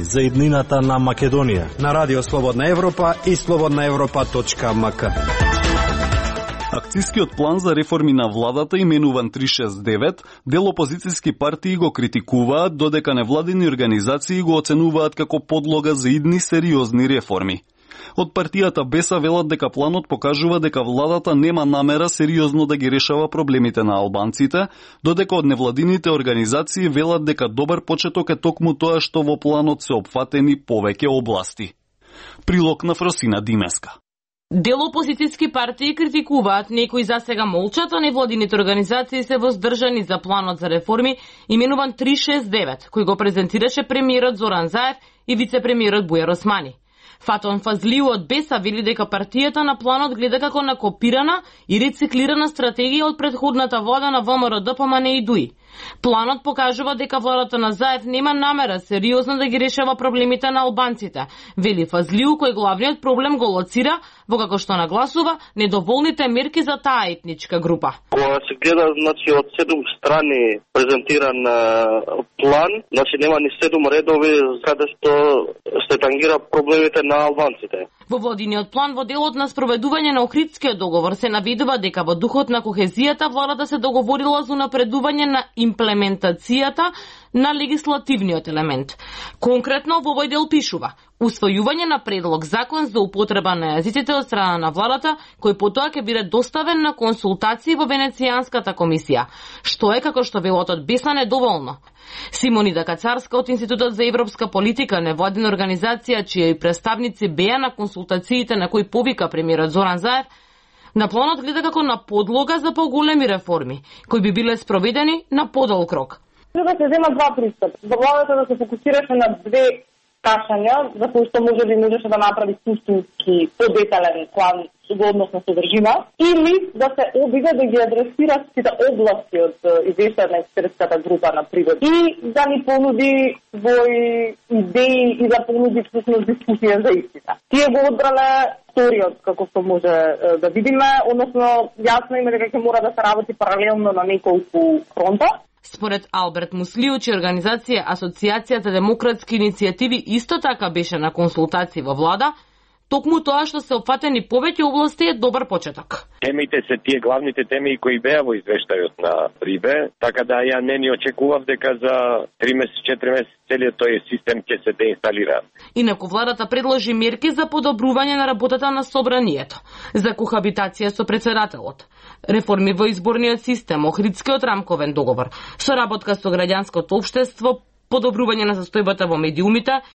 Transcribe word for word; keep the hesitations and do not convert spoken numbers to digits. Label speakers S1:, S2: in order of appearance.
S1: за иднината на Македонија
S2: на Радио Слободна Европа и слободна европа точка ем ка.
S3: Акцискиот план за реформи на владата, именуван три шест девет, дел опозицијски партии го критикуваат, додека невладини организации го оценуваат како подлога за идни сериозни реформи. Од партијата Беса велат дека планот покажува дека владата нема намера сериозно да ги решава проблемите на албанците, додека од невладините организации велат дека добар почеток е токму тоа што во планот се опфатени повеќе области. Прилог на Фросина Димеска.
S4: Дел опозицијски партии критикуваат, некои засега молчат, а невладините организации се воздржани за планот за реформи, именуван три шест девет, кој го презентираше премиерот Зоран Заев и вице-премиерот Бујар Османи. Фатон Фазлиу од Беса вели дека партијата на планот гледа како на копирана и рециклирана стратегија од предходната влада на Вэ Ем Р Д П М Н и Дуи. Планот покажува дека владата на Заев нема намера сериозно да ги решава проблемите на албанците, вели Фазлиу, кој главниот проблем го лоцира во како што нагласува недоволните мерки за таа етничка група.
S5: Кога се гледа, значи, од седум страни презентиран план, значи нема ни седум редови каде што се тангира проблемите на албанците.
S4: Во владиниот план, во делот на спроведување на Охридскиот договор, се наведува дека во духот на кохезијата владата се договорила за напредување на имплементацијата на легислативниот елемент. Конкретно во овој дел пишува: усвојување на предлог закон за употреба на јазиците од страна на владата, кој потоа ќе биде доставен на консултации во Венецијанската комисија, што е, како што велат од Беса, недоволно. Симонида Кацарска од Институтот за европска политика, невладина организација чии представници беа на консултациите на кои повика премиерот Зоран Заев, на планот гледа како на подлога за поголеми реформи, кои би биле спроведени на подолг рок.
S6: Да се зема два пристап. За владата да се фокусираше на две кашања, за кои што може би можеше да направи суштински подетален план во однос на содржина, или да се обиде да ги адресира сите области од извештајот на експертската група на пригод и да ни понуди своји идеи и да понуди всушност дискусија за истина. Тие го одбрале вториот, како што може да видиме, односно јасно има дека ќе мора да се работи паралелно на неколку фронта.
S4: Според Алберт Муслиу, чија организација Асоцијацијата демократски иницијативи исто така беше на консултации во влада, токму тоа што се опфатени повеќе области е добар почеток.
S7: Темите се тие главните теми кои беа во извештајот на Рибе, така да ја не ни очекував дека за три месеци, четири месеци целиот тој систем ќе се деинсталира.
S4: Инаку владата предложи мерки за подобрување на работата на собранието, за кохабитација со председателот, реформи во изборниот систем, Охридскиот рамковен договор, соработка со граѓанското општество, подобрување на состојбата во медиумите